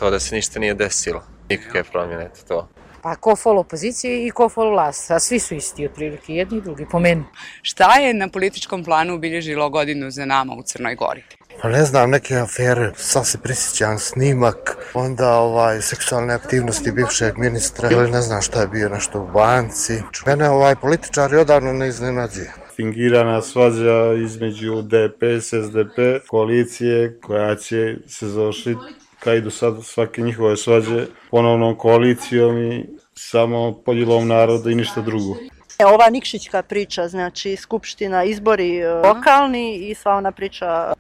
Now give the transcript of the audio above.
gotovo da se ništa nije desilo. Nikakve promjene, to. Pa ko fol opozicije i ko fol vlast, a svi su isti otprilike, jedni i drugi, po meni. Šta je na političkom planu obilježilo godinu za nama u Crnoj Gori? Pa ne znam, neke afere, sad se prisjećam snimak, onda seksualne aktivnosti bivšeg ministra ili ne znam šta je bio nešto u banci. Mene političari odavno ne iznenađuje. Fingirana svađa između DPS, SDP, koalicije koja će se završiti kao i do sad svake njihove svađe ponovnom koalicijom i samo podjelom naroda i ništa drugo. Ova Nikšićka priča, znači skupština, izbori lokalni i sva ona priča